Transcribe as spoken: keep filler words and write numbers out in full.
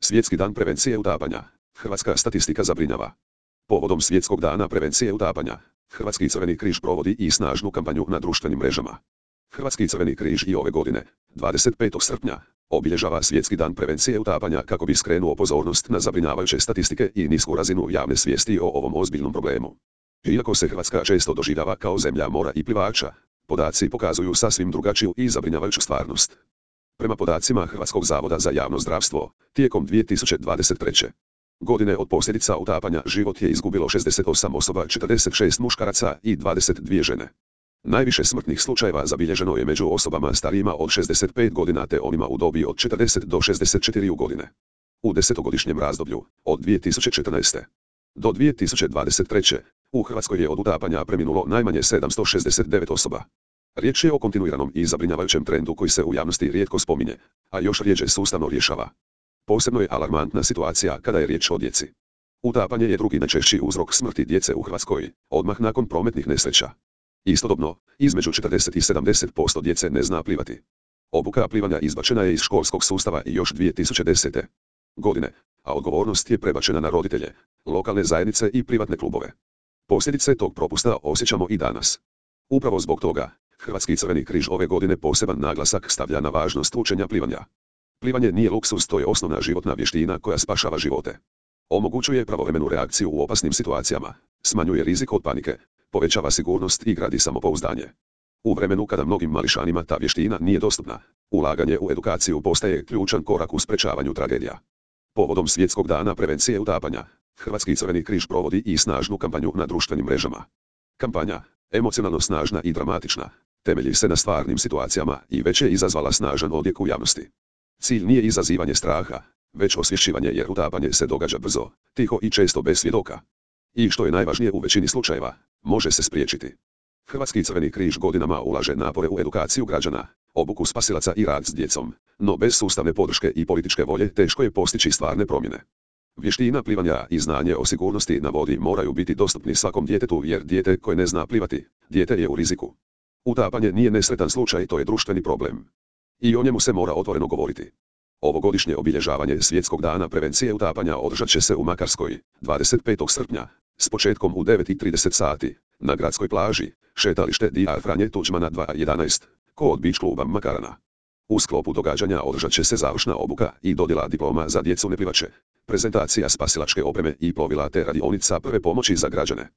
Svjetski dan prevencije utapanja. Hrvatska statistika zabrinjava. Povodom Svjetskog dana prevencije utapanja, Hrvatski crveni križ provodi i snažnu kampanju na društvenim mrežama. Hrvatski crveni križ i ove godine, dvadeset petog srpnja, obilježava Svjetski dan prevencije utapanja kako bi skrenuo pozornost na zabrinjavajuće statistike i nisku razinu javne svijesti o ovom ozbiljnom problemu. Iako se Hrvatska često doživljava kao zemlja mora i plivača, podaci pokazuju sasvim drugačiju i zabrinjavajuću stvarnost. Prema podacima Hrvatskog zavoda za javno zdravstvo, tijekom dvije tisuće dvadeset treće. godine od posljedica utapanja život je izgubilo šezdeset osam osoba, četrdeset šest muškaraca i dvadeset dvije žene. Najviše smrtnih slučajeva zabilježeno je među osobama starijima od šezdeset pet godina te onima u dobi od četrdeset do šezdeset četiri godine. U desetogodišnjem razdoblju, od dvije tisuće četrnaeste. do dvije tisuće dvadeset treće. u Hrvatskoj je od utapanja preminulo najmanje sedamsto šezdeset devet osoba. Riječ je o kontinuiranom i zabrinjavajućem trendu koji se u javnosti rijetko spominje, a još rjeđe sustavno rješava. Posebno je alarmantna situacija kada je riječ o djeci. Utapanje je drugi najčešći uzrok smrti djece u Hrvatskoj, odmah nakon prometnih nesreća. Istodobno, između četrdeset i sedamdeset posto djece ne zna plivati. Obuka plivanja izbačena je iz školskog sustava i još dvije tisuće desete. godine, a odgovornost je prebačena na roditelje, lokalne zajednice i privatne klubove. Posljedice tog propusta osjećamo i danas. Upravo zbog toga, Hrvatski crveni križ ove godine poseban naglasak stavlja na važnost učenja plivanja. Plivanje nije luksuz, to je osnovna životna vještina koja spašava živote. Omogućuje pravovremenu reakciju u opasnim situacijama, smanjuje rizik od panike, povećava sigurnost i gradi samopouzdanje. U vremenu kada mnogim mališanima ta vještina nije dostupna, ulaganje u edukaciju postaje ključan korak u sprečavanju tragedija. Povodom Svjetskog dana prevencije utapanja, Hrvatski crveni križ provodi i snažnu kampanju na društvenim mrežama. Kampanja, emocionalno snažna i dramatična, temelji se na stvarnim situacijama i već je izazvala snažan odjek u javnosti. Cilj nije izazivanje straha, već osvješćivanje jer utapanje se događa brzo, tiho i često bez svjedoka. I što je najvažnije u većini slučajeva, može se spriječiti. Hrvatski crveni križ godinama ulaže napore u edukaciju građana, obuku spasilaca i rad s djecom, no bez sustavne podrške i političke volje teško je postići stvarne promjene. Vještina plivanja i znanje o sigurnosti na vodi moraju biti dostupni svakom djetetu jer dijete koje ne zna plivati, dijete je u riziku. Utapanje nije nesretan slučaj, to je društveni problem. I o njemu se mora otvoreno govoriti. Ovogodišnje obilježavanje Svjetskog dana prevencije utapanja održat će se u Makarskoj, dvadeset petog srpnja, s početkom u devet i trideset sati, na gradskoj plaži, šetalište Dr. Franje Tuđmana dva jedanaest, kod Beach kluba Makarana. U sklopu događanja održat će se završna obuka i dodjela diploma za djecu neplivače, prezentacija spasilačke opreme i plovila te radionica prve pomoći za građane.